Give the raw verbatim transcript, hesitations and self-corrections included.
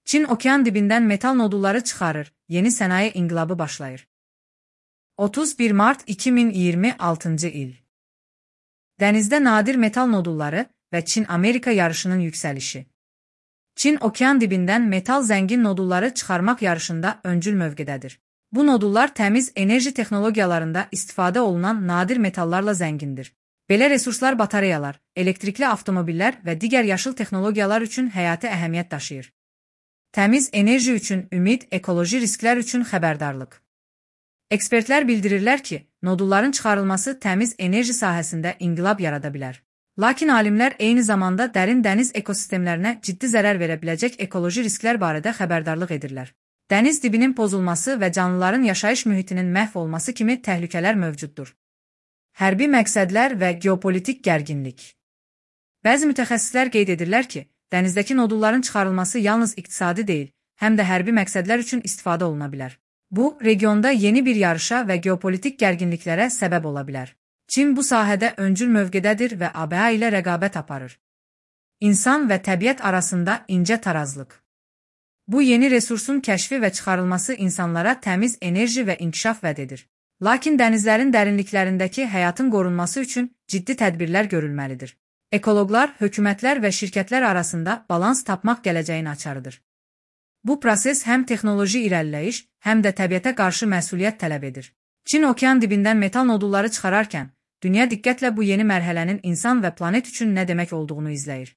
Çin okean dibindən metal nodulları çıxarır, yeni sənaye inqilabı başlayır. otuz bir mart iki min iyirmi altıncı il. Dənizdə nadir metal nodulları və Çin-Amerika yarışının yüksəlişi. Çin okean dibindən metal zəngin nodulları çıxarmaq yarışında öncül mövqedədir. Bu nodullar təmiz enerji texnologiyalarında istifadə olunan nadir metallarla zəngindir. Belə resurslar batareyalar, elektrikli avtomobillər və digər yaşıl texnologiyalar üçün həyati əhəmiyyət daşıyır. Təmiz enerji üçün ümid, ekoloji risklər üçün xəbərdarlıq. Ekspertlər bildirirlər ki, nodulların çıxarılması təmiz enerji sahəsində inqilab yarada bilər. Lakin alimlər eyni zamanda dərin dəniz ekosistemlərinə ciddi zərər verə biləcək ekoloji risklər barədə xəbərdarlıq edirlər. Dəniz dibinin pozulması və canlıların yaşayış mühitinin məhv olması kimi təhlükələr mövcuddur. Hərbi məqsədlər və geopolitik gərginlik. Bəzi mütəxəssislər qeyd edirlər ki, dənizdəki nodulların çıxarılması yalnız iqtisadi deyil, həm də hərbi məqsədlər üçün istifadə oluna bilər. Bu, regionda yeni bir yarışa və geopolitik gərginliklərə səbəb ola bilər. Çin bu sahədə öncül mövqedədir və A B A ilə rəqabət aparır. İnsan və təbiət arasında incə tarazlıq. Bu yeni resursun kəşfi və çıxarılması insanlara təmiz enerji və inkişaf vəd edir. Lakin dənizlərin dərinliklərindəki həyatın qorunması üçün ciddi tədbirlər görülməlidir. Ekoloqlar, hökumətlər və şirkətlər arasında balans tapmaq gələcəyin açarıdır. Bu proses həm texnoloji irəliləyiş, həm də təbiətə qarşı məsuliyyət tələb edir. Çin okean dibindən metal nodulları çıxararkən, dünya diqqətlə bu yeni mərhələnin insan və planet üçün nə demək olduğunu izləyir.